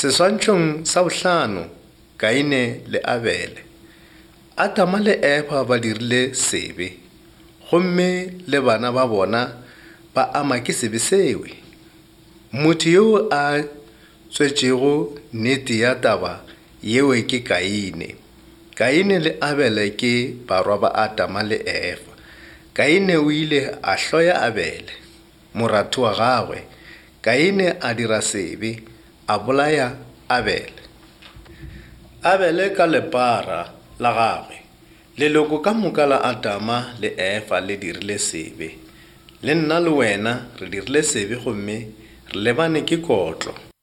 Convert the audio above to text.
Seswantšhong sa bohlano, Kaine le Abele. Adama le Efa ba dirile sebe, gomme le bana ba bona ba ama ke sebe sewe. Motho yo a tswetšego nnete ya taba yewe ke Kaine. Kaine le Abele ke barwa ba Adama le Efa. Kaine o ile a hloya Abele, moratho wa gagwe. Kaine a dira sebe, a bolaya Abele. Abele ka lepara la gagwe. Leloko ka moka la Adama le Efa le dirile sebe. Le nna le wena re dirile sebe gomme re lebane ke kotlo.